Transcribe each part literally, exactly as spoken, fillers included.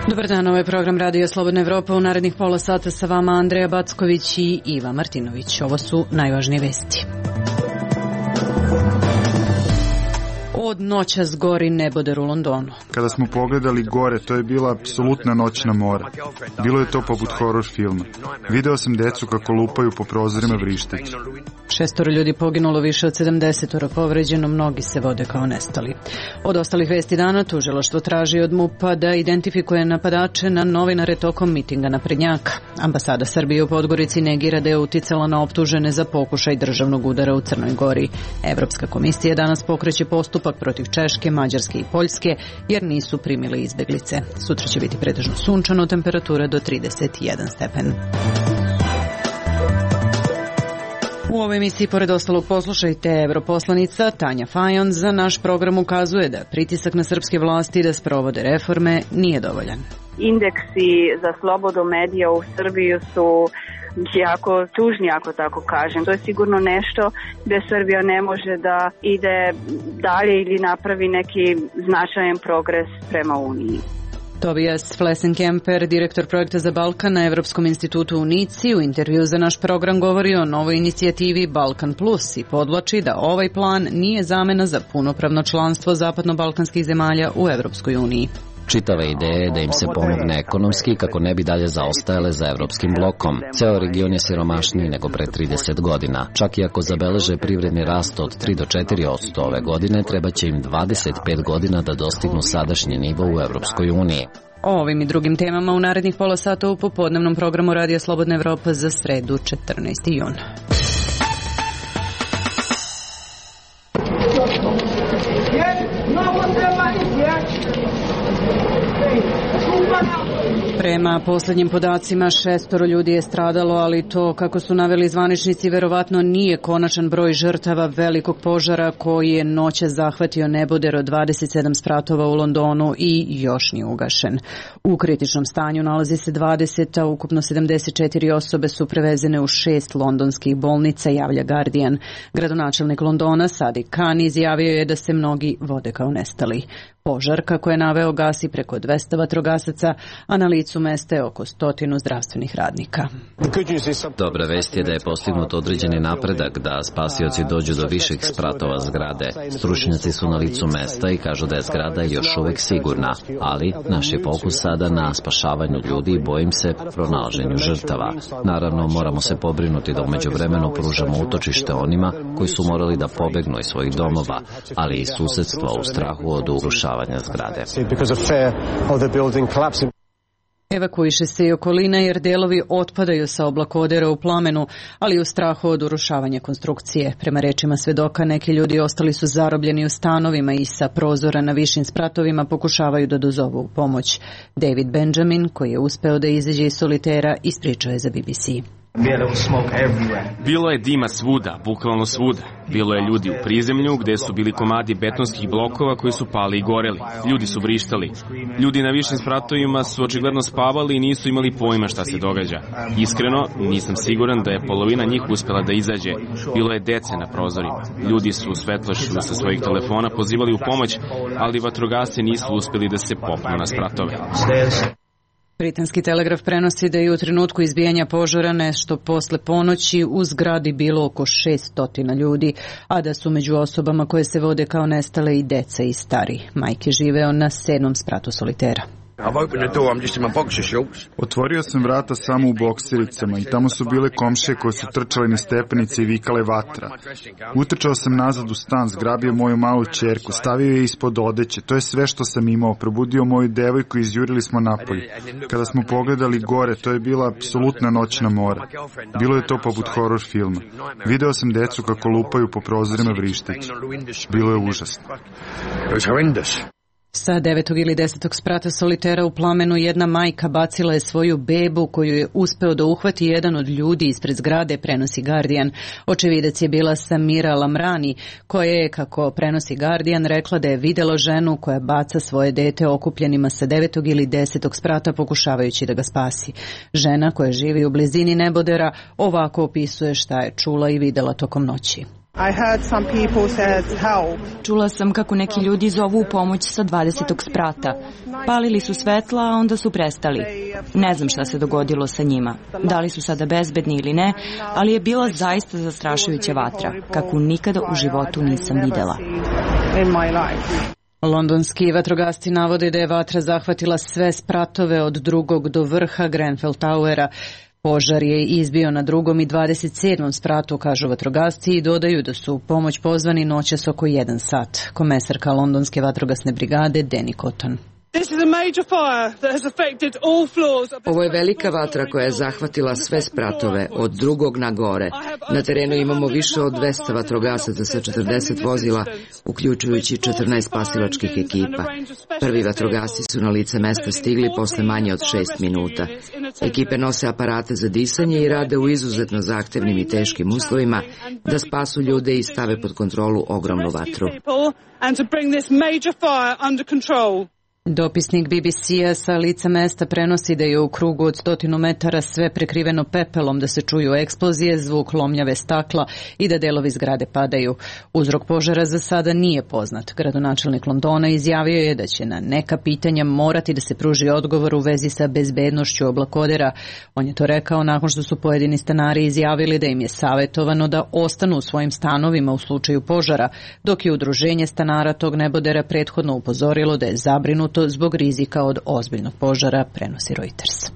Dobar dan, ovo je program Radio Slobodna Evropa. U narednih pola sata sa vama Andreja Backović i Iva Martinović. Ovo su najvažnije vesti. Od noćas gori neboder u Londonu. Kada smo pogledali gore, to je bila apsolutna noćna mora. Bilo je to poput horor filma. Video sam decu kako lupaju po prozorima vrišteći. Šestoro ljudi poginulo, više od sedamdesetoro povređeno, mnogi se vode kao nestali. Od ostalih vesti dana tužilaštvo traži od MUP-a da identifikuje napadače na novinare tokom mitinga naprednjaka. Ambasada Srbije u Podgorici negira da je uticala na optužene za pokušaj državnog udara u Crnoj Gori. Evropska komisija danas pokreće postupak protiv Češke, Mađarske i Poljske jer nisu primili izbeglice. Sutra će biti pretežno sunčano, temperatura do trideset jedan stepen. U ovoj emisiji, pored ostalog, poslušajte, europoslanica Tanja Fajon za naš program ukazuje da pritisak na srpske vlasti da sprovode reforme nije dovoljan. Indeksi za slobodu medija u Srbiji su jako tužni, ako tako kažem. To je sigurno nešto gde Srbija ne može da ide dalje ili napravi neki značajan progres prema Uniji. Tobias Flessenkemper, direktor projekta za Balkan na Evropskom institutu u Nici, u intervju za naš program govori o novoj inicijativi Balkan Plus i podvlači da ovaj plan nije zamena za punopravno članstvo zapadno-balkanskih zemalja u Evropskoj uniji. Čitava ideja je da im se pomogne ekonomski kako ne bi dalje zaostajale za evropskim blokom. Ceo region je siromašniji nego pre trideset godina. Čak i ako zabeleže privredni rast od tri do četiri posto ove godine, treba će im dvadeset pet godina da dostignu sadašnji nivo u Evropskoj uniji. O ovim i drugim temama u narednih pola sata u popodnevnom programu Radio Slobodna Evropa za sredu četrnaesti jun. Prema poslednjim podacima, šestoro ljudi je stradalo, ali to, kako su naveli zvaničnici, verovatno nije konačan broj žrtava velikog požara koji je noćas zahvatio neboder od dvadeset sedam spratova u Londonu i još nije ugašen. U kritičnom stanju nalazi se dvadeset, a ukupno sedamdeset četiri osobe su prevezene u šest londonskih bolnica, javlja Guardian. Gradonačelnik Londona Sadiq Khan izjavio je da se mnogi vode kao nestali. Požar, kako je naveo, gasi preko dvesta vatrogasaca, a na licu mesta je oko stotinu zdravstvenih radnika. Dobra vest je da je postignut određeni napredak da spasioci dođu do viših spratova zgrade. Stručnjaci su na licu mesta i kažu da je zgrada još uvek sigurna, ali naš je fokus sada na spašavanju ljudi i bojim se pronalaženju žrtava. Naravno, moramo se pobrinuti da umeđu vremenu pružamo utočište onima koji su morali da pobegnu iz svojih domova, ali i susedstva u strahu od urušavanja zgrade. Evakuiše se i okolina jer delovi otpadaju sa oblakodera u plamenu, ali u strahu od urušavanja konstrukcije. Prema rečima svedoka, neki ljudi ostali su zarobljeni u stanovima i sa prozora na višim spratovima pokušavaju da dozovu pomoć. David Benjamin, koji je uspeo da izađe iz solitera, ispričao je za B B C. Bilo je dima svuda, bukvalno svuda. Bilo je ljudi u prizemlju gde su bili komadi betonskih blokova koji su pali i goreli. Ljudi su vrištali. Ljudi na višim spratovima su očigledno spavali i nisu imali pojma šta se događa. Iskreno, nisam siguran da je polovina njih uspela da izađe. Bilo je dece na prozorima. Ljudi su u svetlošću sa svojih telefona pozivali u pomoć, ali vatrogasci nisu uspeli da se popnu na spratove. Britanski telegraf prenosi da je u trenutku izbijanja požara nešto posle ponoći u zgradi bilo oko šesnaest ljudi, a da su među osobama koje se vode kao nestale i deca i stari. Mike je živeo na sedmom spratu solitera. Otvorio sam vrata samo u boksericama i tamo su bile komšije koje su trčale na stepenice i vikale vatra. Utrčao sam nazad u stan, zgrabio moju malu ćerku, stavio je ispod odeće, to je sve što sam imao, probudio moju devojku i izjurili smo napolje. Kada smo pogledali gore, to je bila apsolutna noćna mora. Bilo je to poput horor filma. Video sam decu kako lupaju po prozorima vrišteći. Bilo je užasno. Sa devetog ili desetog sprata solitera u plamenu jedna majka bacila je svoju bebu koju je uspeo da uhvati jedan od ljudi ispred zgrade, prenosi Guardian. Očevidac je bila Samira Lamrani, koja je, kako prenosi Guardian, rekla da je videla ženu koja baca svoje dete okupljenima sa devetog ili desetog sprata pokušavajući da ga spasi. Žena koja živi u blizini nebodera ovako opisuje šta je čula i videla tokom noći. I heard some people said help. Čula sam kako neki ljudi zovu u pomoć sa dvadesetog sprata. Palili su svetla, a onda su prestali. Ne znam šta se dogodilo sa njima. Da li su sada bezbedni ili ne, ali je bila zaista zastrašujuća vatra, kakvu nikada u životu nisam videla. Londonski vatrogasci navode da je vatra zahvatila sve spratove od drugog do vrha Grenfell Towera. Požar je izbio na drugom i dvadeset sedmom spratu, kažu vatrogasci, i dodaju da su u pomoć pozvani noćas oko jedan sat. Komesarka Londonske vatrogasne brigade Danny Cotton. Ovo je velika vatra koja je zahvatila sve spratove, od drugog na gore. Na terenu imamo više od dvesta vatrogasaca sa četrdeset vozila, uključujući četrnaest spasilačkih ekipa. Prvi vatrogasci su na lice mesta stigli posle manje od šest minuta. Ekipe nose aparate za disanje i rade u izuzetno zahtevnim i teškim uslovima da spasu ljude i stave pod kontrolu ogromnu vatru. Dopisnik B B C-a sa lica mesta prenosi da je u krugu od stotinu metara sve prekriveno pepelom, da se čuju eksplozije, zvuk lomljave stakla i da delovi zgrade padaju. Uzrok požara za sada nije poznat. Gradonačelnik Londona izjavio je da će na neka pitanja morati da se pruži odgovor u vezi sa bezbednošću oblakodera. On je to rekao nakon što su pojedini stanari izjavili da im je savjetovano da ostanu u svojim stanovima u slučaju požara, dok je udruženje stanara tog nebodera prethodno upozorilo da je zabrinuto zbog rizika od ozbiljnog požara, prenosi Reuters.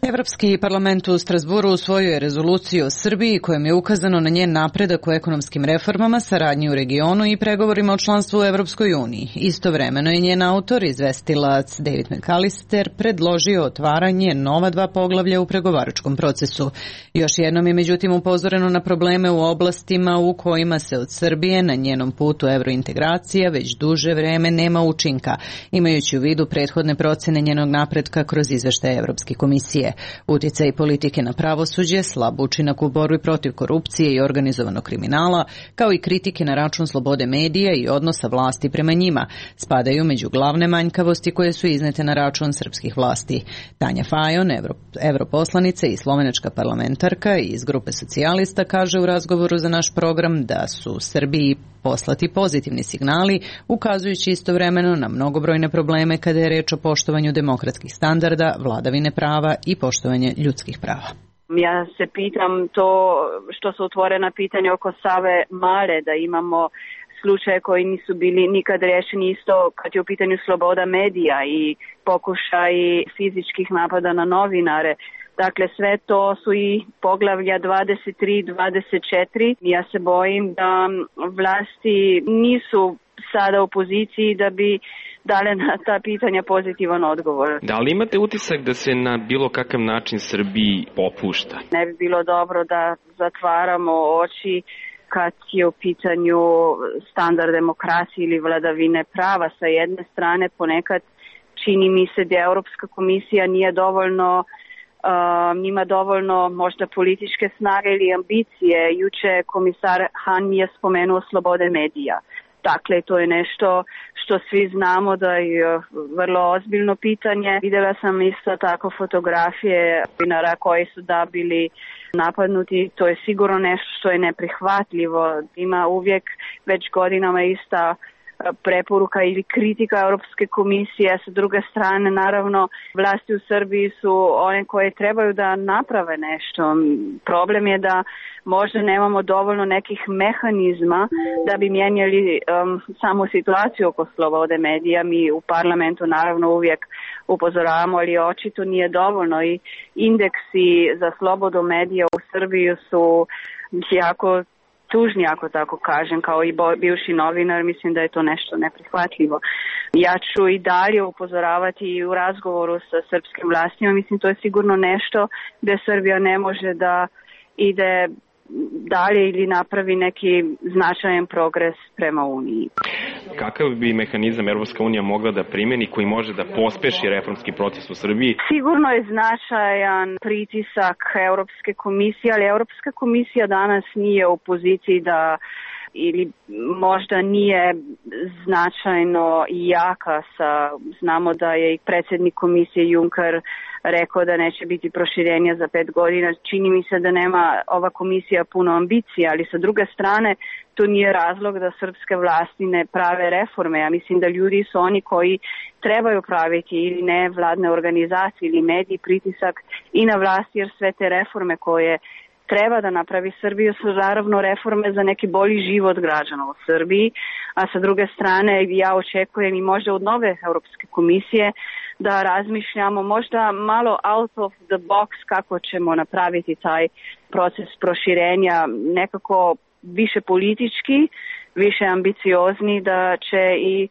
Evropski parlament u Strasburu usvojio je rezoluciju o Srbiji kojom je ukazano na njen napredak u ekonomskim reformama, saradnji u regionu i pregovorima o članstvu u Evropskoj uniji. Istovremeno je njen autor, izvestilac David McAllister, predložio otvaranje nova dva poglavlja u pregovaračkom procesu. Još jednom je međutim upozoreno na probleme u oblastima u kojima se od Srbije na njenom putu evrointegracija već duže vreme nema učinka, imajući u vidu prethodne procene njenog napretka kroz izveštaje Evropske komisije. Uticaj politike na pravosuđe, slab učinak u borbi protiv korupcije i organizovanog kriminala, kao i kritike na račun slobode medija i odnosa vlasti prema njima, spadaju među glavne manjkavosti koje su iznete na račun srpskih vlasti. Tanja Fajon, evro, evroposlanica i slovenačka parlamentarka iz grupe socijalista, kaže u razgovoru za naš program da su Srbiji poslati pozitivni signali, ukazujući istovremeno na mnogobrojne probleme kada je reč o poštovanju demokratskih standarda, vladavine prava i poštovanje ljudskih prava. Ja se pitam to što su otvorena pitanja oko Save Male, da imamo slučaje koji nisu bili nikad rešeni, isto kad je u pitanju sloboda medija i pokušaj fizičkih napada na novinare. Dakle, sve to su i poglavlja dvadeset tri i dvadeset četiri. Ja se bojim da vlasti nisu sada u poziciji da bi dale na ta pitanja pozitivan odgovor. Da li imate utisak da se na bilo kakav način Srbiji popušta? Ne bi bilo dobro da zatvaramo oči kad je u pitanju standard demokracije ili vladavine prava. Sa jedne strane, ponekad čini mi se da Europska komisija nije dovoljno Uh, nima dovoljno možda političke snage ili ambicije. Juče komisar Han je spomenuo slobode medija. Dakle, to je nešto što svi znamo da je vrlo ozbiljno pitanje. Videla sam isto tako fotografije novinara koji su da bili napadnuti. To je sigurno nešto što je neprihvatljivo. Ima uvijek već godinama ista preporuka ili kritika Europske komisije. Sa druge strane, naravno, vlasti u Srbiji su one koje trebaju da naprave nešto. Problem je da možda nemamo dovoljno nekih mehanizma da bi mijenjali um, samu situaciju oko slobode medija. Mi u parlamentu naravno uvijek upozoravamo, ali očito nije dovoljno i indeksi za slobodu medija u Srbiji su jako tužni, ako tako kažem, kao i bivši novinar, mislim da je to nešto neprihvatljivo. Ja ću i dalje upozoravati i u razgovoru sa srpskim vlastima, mislim to je sigurno nešto gde Srbija ne može da ide dalje ili napravi neki značajan progres prema Uniji. Kakav bi mehanizam Evropska unija mogla da primeni koji može da pospeši reformski proces u Srbiji? Sigurno je značajan pritisak Evropske komisije, ali Evropska komisija danas nije u poziciji da ili možda nije značajno jaka sa, znamo da je i predsjednik komisije Juncker rekao da neće biti proširenja za pet godina. Čini mi se da nema ova komisija puno ambicija, ali sa druge strane to nije razlog da srpske vlasti ne prave reforme. Ja mislim da ljudi su oni koji trebaju praviti ili ne vladne organizacije ili mediji pritisak i na vlasti, jer sve te reforme koje treba da napravi Srbiju su naravno reforme za neki bolji život građana u Srbiji, a sa druge strane ja očekujem i možda od nove Europske komisije da razmišljamo možda malo out of the box kako ćemo napraviti taj proces proširenja nekako više politički, više ambiciozni, da će i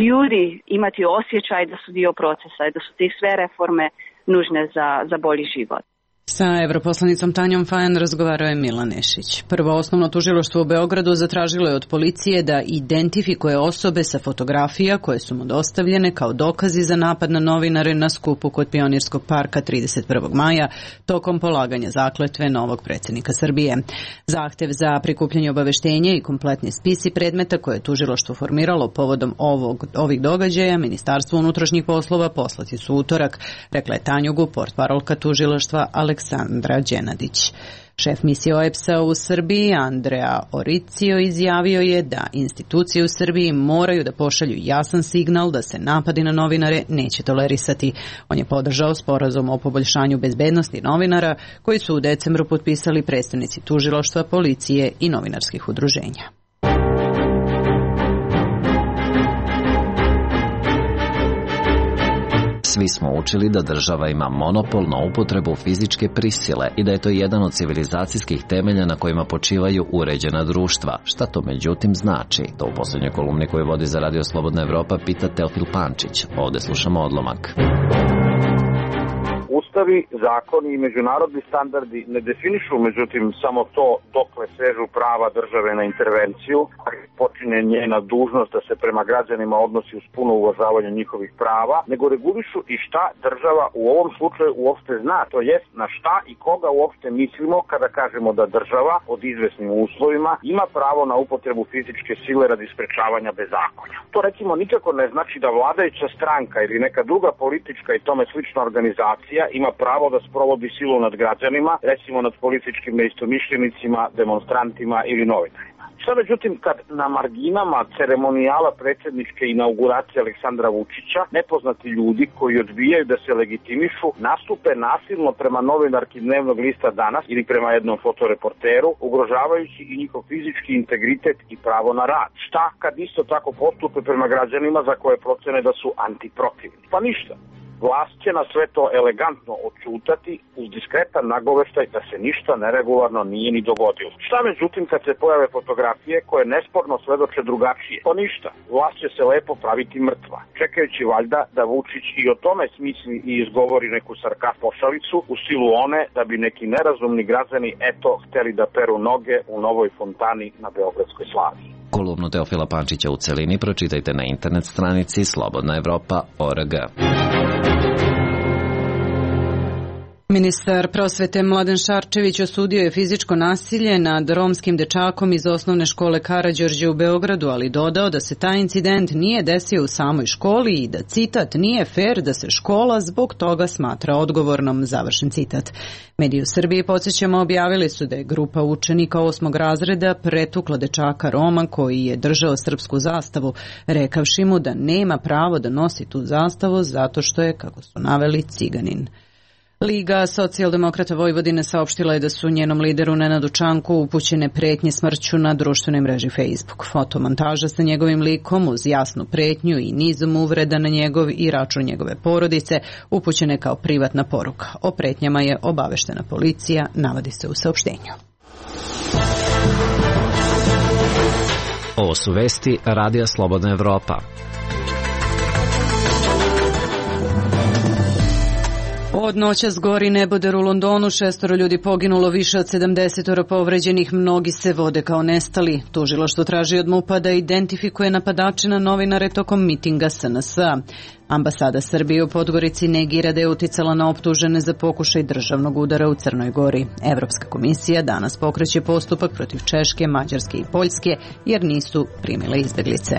ljudi imati osjećaj da su dio procesa i da su tih sve reforme nužne za, za bolji život. Sa europoslanicom Tanjom Fajan razgovarao je Milan Nešić. Prvo osnovno tužilaštvo u Beogradu zatražilo je od policije da identifikuje osobe sa fotografija koje su mu dostavljene kao dokazi za napad na novinare na skupu kod Pionirskog parka trideset prvog maja tokom polaganja zakletve novog predsjednika Srbije. Zahtev za prikupljanje obaveštenja i kompletni spisi predmeta koje je tužilaštvo formiralo povodom ovog, ovih događaja Ministarstvo unutrašnjih poslova poslati su utorak, rekla je Tanjugu, portparolka tužilaštva Aleksandra Đenadić. Šef misije O E P S-a u Srbiji, Andrea Oricio, izjavio je da institucije u Srbiji moraju da pošalju jasan signal da se napadi na novinare neće tolerisati. On je podržao sporazum o poboljšanju bezbednosti novinara koji su u decembru potpisali predstavnici tužilaštva, policije i novinarskih udruženja. Svi smo učili da država ima monopol na upotrebu fizičke prisile i da je to jedan od civilizacijskih temelja na kojima počivaju uređena društva. Šta to međutim znači? To u posljednjoj kolumni koju vodi za Radio Slobodna Evropa pita Teofil Pančić. Ovde slušamo odlomak. Ustavi, zakoni i međunarodni standardi ne definišu, međutim, samo to dokle sežu prava države na intervenciju, a počinje njena dužnost da se prema građanima odnosi uz puno uvažavanje njihovih prava, nego regulišu i šta država u ovom slučaju uopšte zna, to jest na šta i koga uopšte mislimo kada kažemo da država pod izvesnim uslovima ima pravo na upotrebu fizičke sile radi sprečavanja bezakonja. To recimo nikako ne znači da vladajuća stranka ili neka druga politička i tome slična organizacija ima pravo da sprovodi silu nad građanima, recimo nad političkim neistomišljenicima, demonstrantima ili novinarima. Šta međutim kad na marginama ceremonijala predsjedničke inauguracije Aleksandra Vučića nepoznati ljudi koji odbijaju da se legitimišu nastupe nasilno prema novinarki dnevnog lista Danas ili prema jednom fotoreporteru, ugrožavajući i njihov fizički integritet i pravo na rad. Šta kad isto tako postupe prema građanima za koje procene da su antiprotivni? Pa ništa. Vlast će na sve to elegantno odćutati uz diskretan nagoveštaj da se ništa neregularno nije ni dogodilo. Šta međutim kad se pojave fotografije koje nesporno svedoče drugačije? Pa ništa, vlast će se lepo praviti mrtva, čekajući valjda da Vučić i o tome smisli i izgovori neku sarkast pošalicu u stilu one da bi neki nerazumni građani eto hteli da peru noge u novoj fontani na Beogradskoj slavi. Kolumnu Teofila Pančića u celini pročitajte na internet stranici slobodna evropa tačka org. Ministar prosvete Mladen Šarčević osudio je fizičko nasilje nad romskim dečakom iz osnovne škole Karađorđe u Beogradu, ali dodao da se taj incident nije desio u samoj školi i da, citat, nije fer da se škola zbog toga smatra odgovornom, završen citat. Mediji u Srbiji, podsjećamo, objavili su da je grupa učenika osmog razreda pretukla dečaka Roma koji je držao srpsku zastavu, rekavši mu da nema pravo da nosi tu zastavu zato što je, kako su naveli, ciganin. Liga socijaldemokrata Vojvodine saopštila je da su njenom lideru Nenadu Čanku upućene pretnje smrću na društvenoj mreži Facebook. Fotomontaža sa njegovim likom uz jasnu pretnju i nizom uvreda na njegov i račun njegove porodice upućene kao privatna poruka. O pretnjama je obaveštena policija, navodi se u saopštenju. Ovo su vesti Radija Slobodna Evropa. Od noćas gori neboder u Londonu, šestoro ljudi poginulo, više od sedamdeset povređenih, mnogi se vode kao nestali. Tužilaštvo traži od MUP-a da identifikuje napadače na novinare tokom mitinga S N S-a. Ambasada Srbije u Podgorici negira da je uticala na optužene za pokušaj državnog udara u Crnoj Gori. Evropska komisija danas pokreće postupak protiv Češke, Mađarske i Poljske jer nisu primile izbeglice.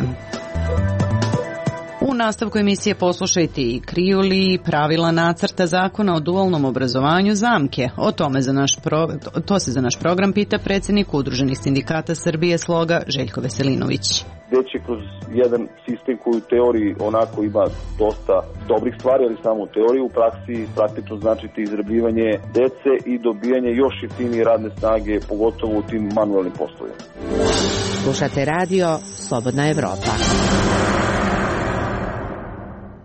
U nastavku emisije poslušajte i kriju li pravila nacrta zakona o dualnom obrazovanju zamke. O tome za naš pro... to se za naš program pita predsjednik Udruženih sindikata Srbije Sloga Željko Veselinović. Gde će kroz jedan sistem koji u teoriji onako ima dosta dobrih stvari, ali samo u teoriji, u praksi praktično značiti izrabljivanje dece i dobijanje još jeftinije radne snage, pogotovo u tim manualnim poslovima. Slušate radio Slobodna Evropa.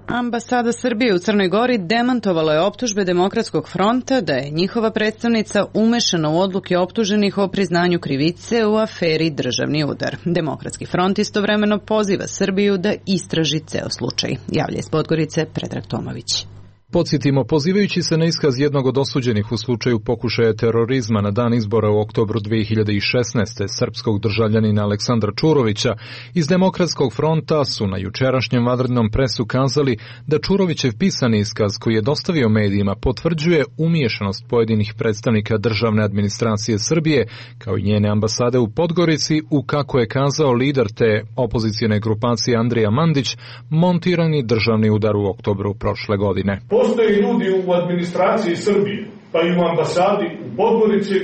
Ambasada Srbije u Crnoj Gori demantovala je optužbe Demokratskog fronta da je njihova predstavnica umešana u odluke optuženih o priznanju krivice u aferi Državni udar. Demokratski front istovremeno poziva Srbiju da istraži ceo slučaj. Javlja iz Podgorice Predrag Tomović. Podsjetimo, pozivajući se na iskaz jednog od osuđenih u slučaju pokušaja terorizma na dan izbora u oktobru dve hiljade šesnaeste. srpskog državljanina Aleksandra Čurovića, iz Demokratskog fronta su na jučerašnjem vanrednom presu kazali da Čurovićev pisani iskaz koji je dostavio medijima potvrđuje umiješanost pojedinih predstavnika državne administracije Srbije, kao i njene ambasade u Podgorici, u, kako je kazao lider te opozicijne grupacije Andrija Mandić, montirani državni udar u oktobru prošle godine. Postoje ljudi u administraciji Srbije, pa i u ambasadi u Podgorici,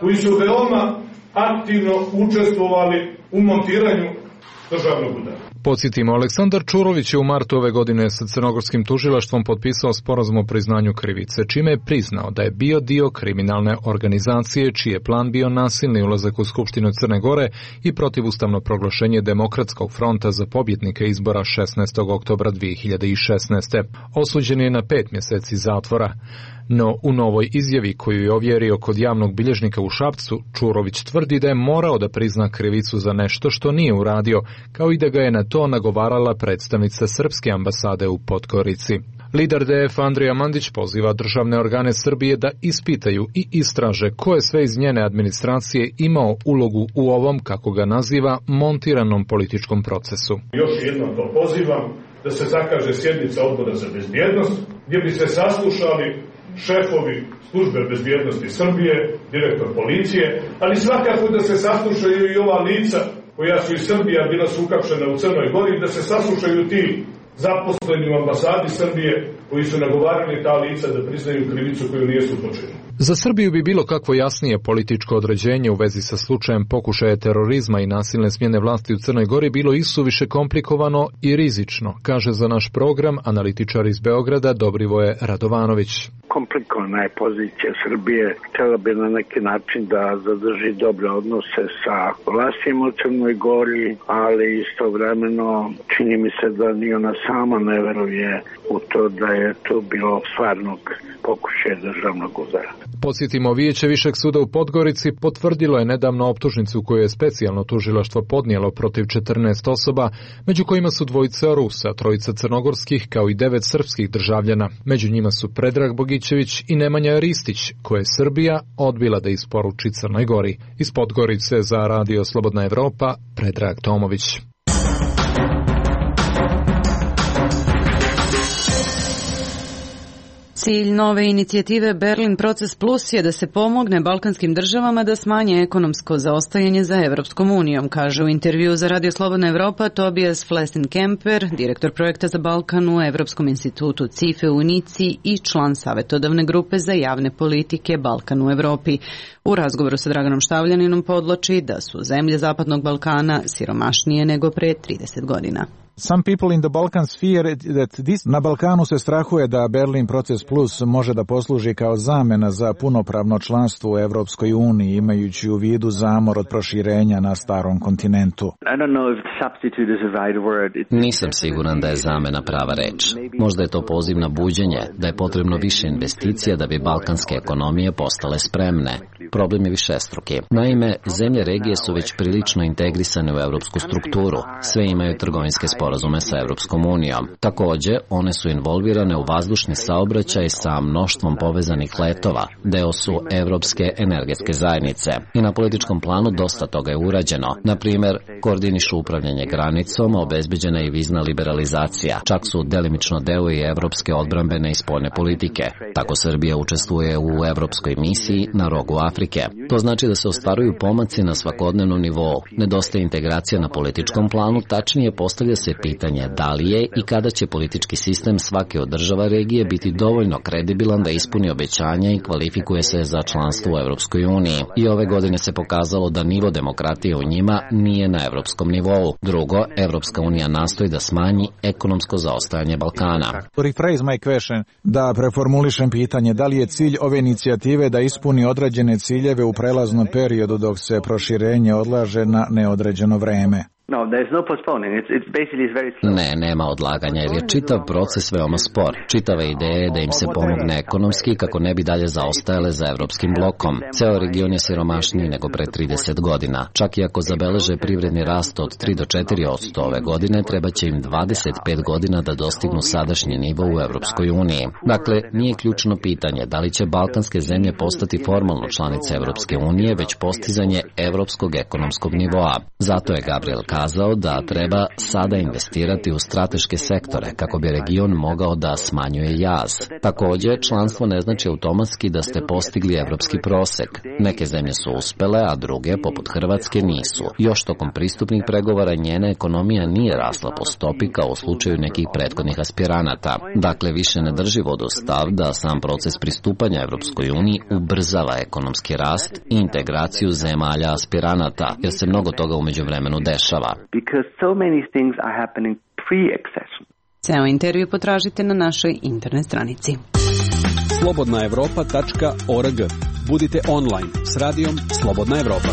koji su veoma aktivno učestvovali u montiranju državnog udara. Podsjetimo, Aleksandar Čurović je u martu ove godine sa crnogorskim tužilaštvom potpisao sporazum o priznanju krivice, čime je priznao da je bio dio kriminalne organizacije čiji je plan bio nasilni ulazak u Skupštinu Crne Gore i protivustavno proglašenje Demokratskog fronta za pobjednika izbora šesnaestog oktobra dve hiljade šesnaeste. Osuđen je na pet mjeseci zatvora. No, u novoj izjavi koju je ovjerio kod javnog bilježnika u Šapcu, Čurović tvrdi da je morao da prizna krivicu za nešto što nije uradio, kao i da ga je na to nagovarala predstavnica srpske ambasade u Podgorici. Lider D F Andrija Mandić poziva državne organe Srbije da ispitaju i istraže ko je sve iz njene administracije imao ulogu u ovom, kako ga naziva, montiranom političkom procesu. Još jednom to pozivam da se zakaže sjednica Odbora za bezbjednost, gdje bi se saslušali šefovi službe bezbjednosti Srbije, direktor policije, ali svakako da se saslušaju i ova lica koja su iz Srbije bila su uhapšena u Crnoj Gori, da se saslušaju ti zaposleni u ambasadi Srbije koji su nagovarali ta lica da priznaju krivicu koju nisu počinili. Za Srbiju bi bilo kakvo jasnije političko određenje u vezi sa slučajem pokušaja terorizma i nasilne smjene vlasti u Crnoj Gori bilo isuviše komplikovano i rizično, kaže za naš program analitičar iz Beograda Dobrivoje Radovanović. Komplikovana je pozicija Srbije, htjela bi na neki način da zadrži dobre odnose sa vlastima u Crnoj Gori, ali istovremeno čini mi se da ni ona sama ne veruje u to da je to bilo stvarnog pokušaja državnog udara. Podsjetimo, Vijeće Višeg suda u Podgorici potvrdilo je nedavno optužnicu koju je specijalno tužilaštvo podnijelo protiv četrnaest osoba, među kojima su dvojica Rusa, trojica crnogorskih kao i devet srpskih državljana. Među njima su Predrag Bogićević i Nemanja Ristić, koje je Srbija odbila da isporuči Crnoj Gori. Iz Podgorice za Radio Slobodna Evropa, Predrag Tomović. Cilj nove inicijative Berlin Proces Plus je da se pomogne balkanskim državama da smanje ekonomsko zaostajanje za Evropskom unijom, kaže u intervju za Radio Slobodna Evropa Tobias Flessin-Kemper, direktor projekta za Balkan u Evropskom institutu C I F E u Nici i član savjetodavne grupe za javne politike Balkan u Evropi. U razgovoru sa Draganom Štavljaninom podloči da su zemlje Zapadnog Balkana siromašnije nego pre trideset godina. Some people in the Balkans fear that this... Na Balkanu se strahuje da Berlin Proces Plus može da posluži kao zamena za punopravno članstvo u Evropskoj uniji, imajući u vidu zamor od proširenja na starom kontinentu. Nisam siguran da je zamena prava reč. Možda je to poziv na buđenje, da je potrebno više investicija da bi balkanske ekonomije postale spremne. Problem je višestruki. Naime, zemlje regije su već prilično integrisane u evropsku strukturu. Sve imaju trgovinske sporazume sporazume sa Evropskom unijom. Takođe, one su involvirane u vazdušni saobraćaj sa mnoštvom povezanih letova, deo su Evropske energetske zajednice i na političkom planu dosta toga je urađeno. Na primer, koordinišu upravljanje granicom, obezbeđena je i vizna liberalizacija, čak su delimično deo i evropske odbrambene i spoljne politike. Tako Srbija učestvuje u evropskoj misiji na rogu Afrike. To znači da se ostvaruju pomaci na svakodnevnom nivou. Nedostaje integracija na političkom planu, tačnije postavlja se pitanje da li je i kada će politički sistem svake od država regije biti dovoljno kredibilan da ispuni obećanja i kvalifikuje se za članstvo u Evropskoj uniji. I ove godine se pokazalo da nivo demokratije u njima nije na evropskom nivou. Drugo, Evropska unija nastoji da smanji ekonomsko zaostajanje Balkana. Rephrase my question, da preformulišem pitanje, da li je cilj ove inicijative da ispuni određene ciljeve u prelaznom periodu dok se proširenje odlaže na neodređeno vreme? Ne, nema odlaganja jer je čitav proces veoma spor. Čitava ideja je da im se pomogne ekonomski kako ne bi dalje zaostajale za evropskim blokom. Ceo region je siromašniji nego pre trideset godina. Čak i ako zabeleže privredni rast od tri do četiri posto ove godine, treba će im dvadeset pet godina da dostignu sadašnji nivo u Evropskoj uniji. Dakle, nije ključno pitanje da li će balkanske zemlje postati formalno članice Evropske unije, već postizanje evropskog ekonomskog nivoa. Zato je Gabriel kazao da treba sada investirati u strateške sektore kako bi region mogao da smanjuje jaz. Takođe, članstvo ne znači automatski da ste postigli evropski prosek. Neke zemlje su uspele, a druge, poput Hrvatske, nisu. Još tokom pristupnih pregovora njena ekonomija nije rasla po stopi kao u slučaju nekih prethodnih aspiranata. Dakle, više ne drži vodu stav da sam proces pristupanja Evropskoj uniji ubrzava ekonomski rast i integraciju zemalja aspiranata, jer se mnogo toga umeđu vremenu dešava. Because so many things are happening pre-accession. Ceo intervju potražite na našoj internet stranici. slobodna evropa tačka org. Budite online s radijom Slobodna Evropa.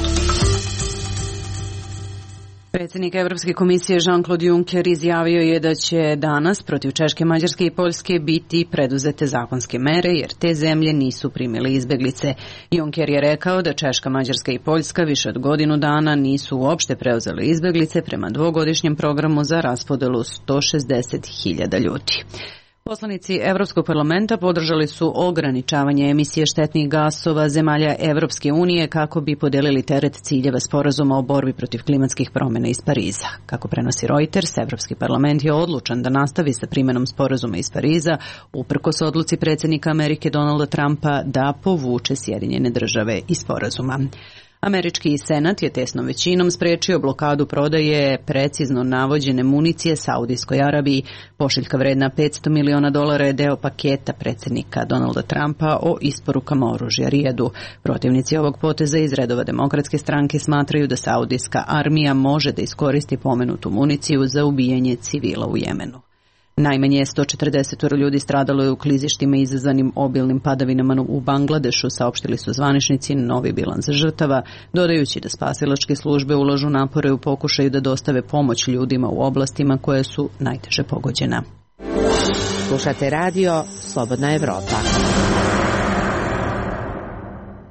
Predsjednik Evropske komisije Jean-Claude Juncker izjavio je da će danas protiv Češke, Mađarske i Poljske biti preduzete zakonske mere jer te zemlje nisu primile izbeglice. Juncker je rekao da Češka, Mađarska i Poljska više od godinu dana nisu uopšte preuzele izbeglice prema dvogodišnjem programu za raspodelu sto šezdeset hiljada ljudi. Poslanici Evropskog parlamenta podržali su ograničavanje emisije štetnih gasova zemalja Evropske unije kako bi podelili teret ciljeva sporazuma o borbi protiv klimatskih promjena iz Pariza. Kako prenosi Reuters, Evropski parlament je odlučan da nastavi sa primenom sporazuma iz Pariza, uprkos odluci predsjednika Amerike Donalda Trumpa da povuče Sjedinjene države iz sporazuma. Američki senat je tesnom većinom sprečio blokadu prodaje precizno navođene municije Saudijskoj Arabiji. Pošiljka vredna petsto miliona dolara je deo paketa predsjednika Donalda Trumpa o isporukama oružja Rijadu. Protivnici ovog poteza iz redova Demokratske stranke smatraju da Saudijska armija može da iskoristi pomenutu municiju za ubijanje civila u Jemenu. Najmanje sto četrdeset ljudi stradalo je u klizištima izazvanim obilnim padavinama u Bangladešu, saopštili su zvaničnici novi bilans žrtava, dodajući da spasilačke službe ulažu napore u pokušaju da dostave pomoć ljudima u oblastima koje su najteže pogođena. Slušate radio Slobodna Evropa.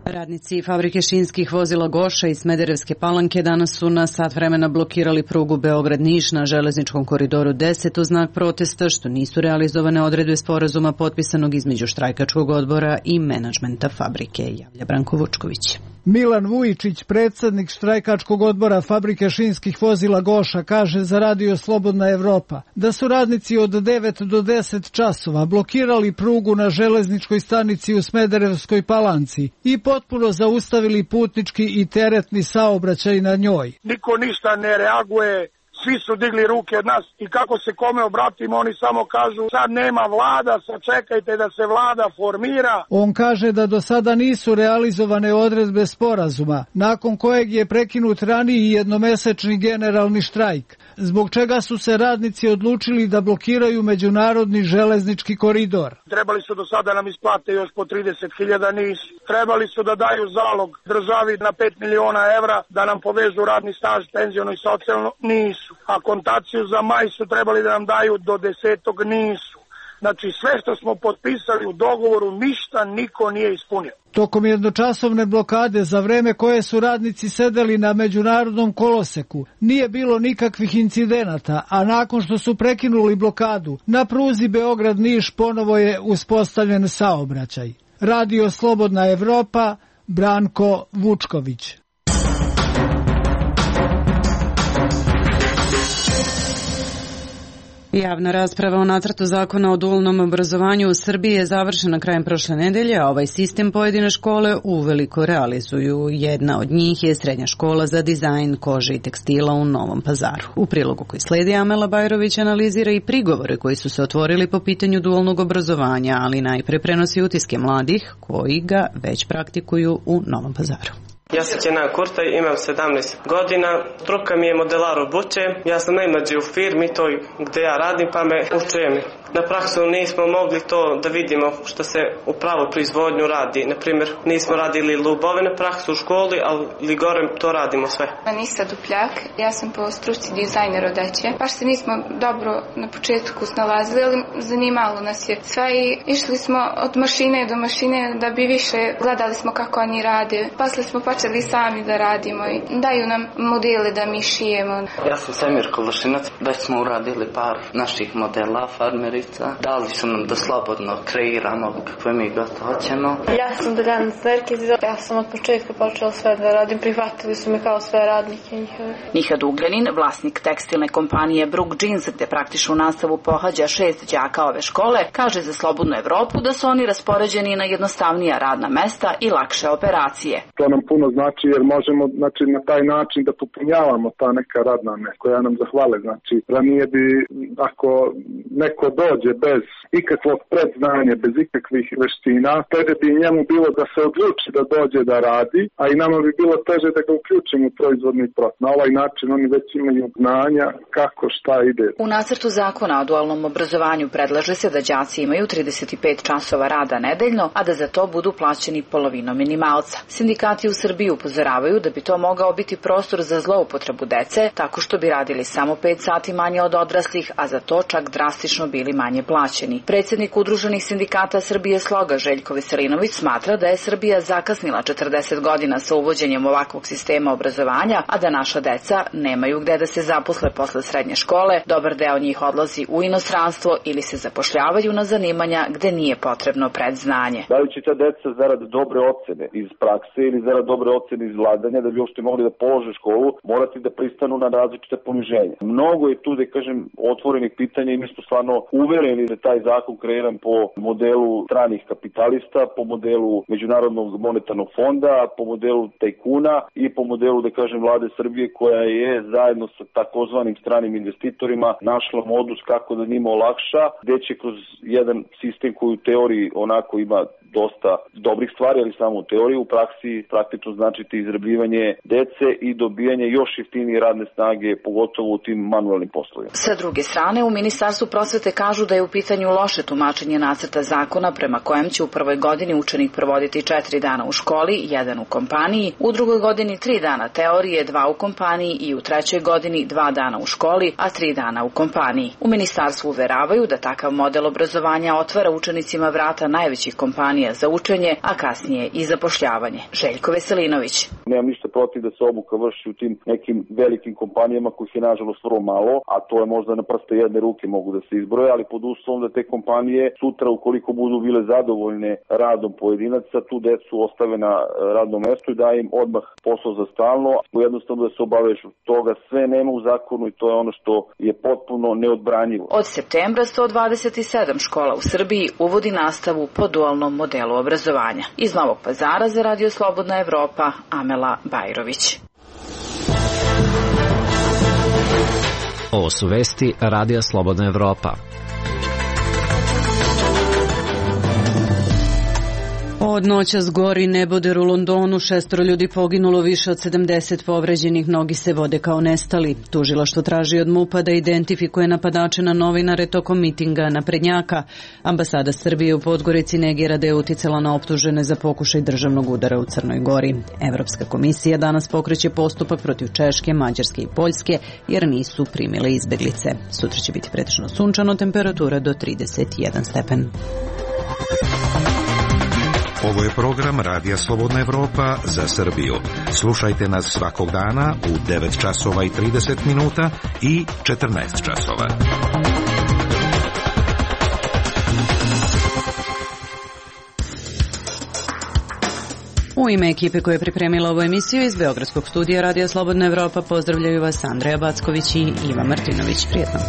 Radnici fabrike šinskih vozila Goša iz Smederevske Palanke danas su na sat vremena blokirali prugu Beograd-Niš na železničkom koridoru deset u znak protesta što nisu realizovane odredbe sporazuma potpisanog između štrajkačkog odbora i menadžmenta fabrike, javlja Branko Vučković. Milan Vujičić, predsjednik štrajkačkog odbora fabrike šinskih vozila Goša, kaže za radio Slobodna Evropa da su radnici od devet do deset časova blokirali prugu na železničkoj stanici u Smederevskoj Palanci i potpuno zaustavili putnički i teretni saobraćaj na njoj. Niko ništa ne reaguje. Svi su digli ruke od nas i kako se kome obratimo, oni samo kažu sad nema vlada, sad čekajte da se vlada formira. On kaže da do sada nisu realizovane odredbe sporazuma, nakon kojeg je prekinut raniji jednomesečni generalni štrajk, zbog čega su se radnici odlučili da blokiraju međunarodni železnički koridor. Trebali su do sada nam isplate još po trideset hiljada, nisu. Trebali su da daju zalog državi na pet miliona evra, da nam povežu radni staž, penziono i socijalno, nisu. A kontaciju za maj su trebali da nam daju do desetog, nisu. Znači sve što smo potpisali u dogovoru ništa niko nije ispunio. Tokom jednočasovne blokade za vreme koje su radnici sedeli na međunarodnom koloseku nije bilo nikakvih incidenata, a nakon što su prekinuli blokadu, na pruzi Beograd-Niš ponovo je uspostavljen saobraćaj. Radio Slobodna Evropa, Branko Vučković. Javna rasprava o nacrtu zakona o dualnom obrazovanju u Srbiji je završena krajem prošle nedelje, a ovaj sistem pojedine škole uveliko realizuju. Jedna od njih je Srednja škola za dizajn kože i tekstila u Novom Pazaru. U prilogu koji sledi Amela Bajrović analizira i prigovore koji su se otvorili po pitanju dualnog obrazovanja, ali najpre prenosi utiske mladih koji ga već praktikuju u Novom Pazaru. Ja sam Kenan Kurtaj, imam sedamnaest godina, struka mi je modelar obuće, ja sam najmlađi u firmi toj gde ja radim pa me učujem. Na praksu nismo mogli to da vidimo što se u pravu proizvodnju radi. Naprimjer, nismo radili lubove na praksu u školi, ali gore to radimo sve. Anisa Dupljak, ja sam po struci dizajner odeće. Baš se nismo dobro na početku snalazili, ali zanimalo nas je sve i išli smo od mašine do mašine da bi više gledali smo kako oni rade. Posle smo počeli sami da radimo i daju nam modele da mi šijemo. Ja sam Semir Kološinac, već smo uradili par naših modela, farmeri. Dali su nam da slobodno kreiramo kakve mi god hoćemo. Ja sam Deljana Sverkiz, ja sam od početka počela sve da radim, prihvatili su me kao sve radnike njihove. Nihad Ugljanin, vlasnik tekstilne kompanije Brook Jeans, gde praktičnu nastavu pohađa šest đaka ove škole, kaže za Slobodnu Evropu da su oni raspoređeni na jednostavnija radna mesta i lakše operacije. To nam puno znači jer možemo znači, na taj način da popunjavamo ta neka radna mesta koja nam zahvale. Znači, ranije bi ako neko dođe bez ikakvog predznanja, bez ikakvih veština, teže bi njemu bilo da se odluči da dođe da radi, a i nama bi bilo teže da ga uključimo u proizvodni proces. Na ovaj način oni već imaju znanja kako šta ide. U nacrtu zakona o dualnom obrazovanju predlaže se da đaci imaju trideset pet časova rada nedeljno, a da za to budu plaćeni polovinom minimalca. Sindikati u Srbiji upozoravaju da bi to mogao biti prostor za zloupotrebu dece, tako što bi radili samo pet sati manje od odraslih, a za to čak drastično bili manje plaćeni. Predsjednik Udruženih sindikata Srbije Sloga Željko Veselinović smatra da je Srbija zakasnila četrdeset godina sa uvođenjem ovakvog sistema obrazovanja, a da naša deca nemaju gde da se zaposle posle srednje škole, dobar deo njih odlazi u inostranstvo ili se zapošljavaju na zanimanja gde nije potrebno predznanje. Da li će ta deca zarad dobre ocene iz prakse ili zarad dobre ocene iz vladanja da bi uopšte mogli da polože školu, morati da pristanu na različite poniženja. Mnogo je tu, da kažem, otvorenih pitanja i mi smo stvarno uvereni da taj zakon kreiran po modelu stranih kapitalista, po modelu Međunarodnog monetarnog fonda, po modelu tajkuna i po modelu, da kažem, vlade Srbije koja je zajedno sa takozvanim stranim investitorima našla modus kako da njima olakša, gde će kroz jedan sistem koji u teoriji onako ima dosta dobrih stvari, ali samo u teoriji, u praksi praktično značiti izrabljivanje dece i dobijanje još jeftinije radne snage, pogotovo u tim manualnim poslovima. Sa druge strane, u Ministarstvu prosvete kažu da je u pitanju loše tumačenje nacrta zakona prema kojem će u prvoj godini učenik provoditi četiri dana u školi, jedan u kompaniji, u drugoj godini tri dana teorije, dva u kompaniji i u trećoj godini dva dana u školi, a tri dana u kompaniji. U Ministarstvu uveravaju da takav model obrazovanja otvara učenicima vrata najvećih kompanija za učenje, a kasnije i zapošljavanje. Željko Veselinović. Nemam ništa protiv da se obuka vrši u tim nekim velikim kompanijama kojih je nažalost vrlo malo, a to je možda na prste jedne ruke mogu da se izbroje, ali pod uslovom da te kompanije sutra ukoliko budu bile zadovoljne radom pojedinaca, tu decu ostave na radnom mestu i da im odmah posao za stalno, jednostavno da se obaveš toga. Sve nema u zakonu i to je ono što je potpuno neodbranjivo. Od septembra sto dvadeset sedam škola u Srbiji uvodi nastavu po dualnom modelu obrazovanja. Iz Novog Pazara za Radio Slobodna Evropa, Amela Bajrović. Ovo su vesti Radija Slobodna Evropa. Od Od noćas gori neboder u Londonu, šestoro ljudi poginulo, više od sedamdeset povređenih, mnogi se vode kao nestali. Tužilaštvo traži od MUP-a da identifikuje napadače na novinare tokom mitinga naprednjaka. Ambasada Srbije u Podgorici negira da je uticala na optužene za pokušaj državnog udara u Crnoj Gori. Evropska komisija danas pokreće postupak protiv Češke, Mađarske i Poljske jer nisu primile izbeglice. Sutra će biti pretežno sunčano, temperatura do trideset jedan stepen. Ovo je program Radija Slobodna Evropa za Srbiju. Slušajte nas svakog dana u devet časova i trideset minuta i četrnaest časova. U ime ekipe koja je pripremila ovu emisiju iz Beogradskog studija Radija Slobodna Evropa pozdravljaju vas Andreja Backović i Iva Martinović. Prijetno.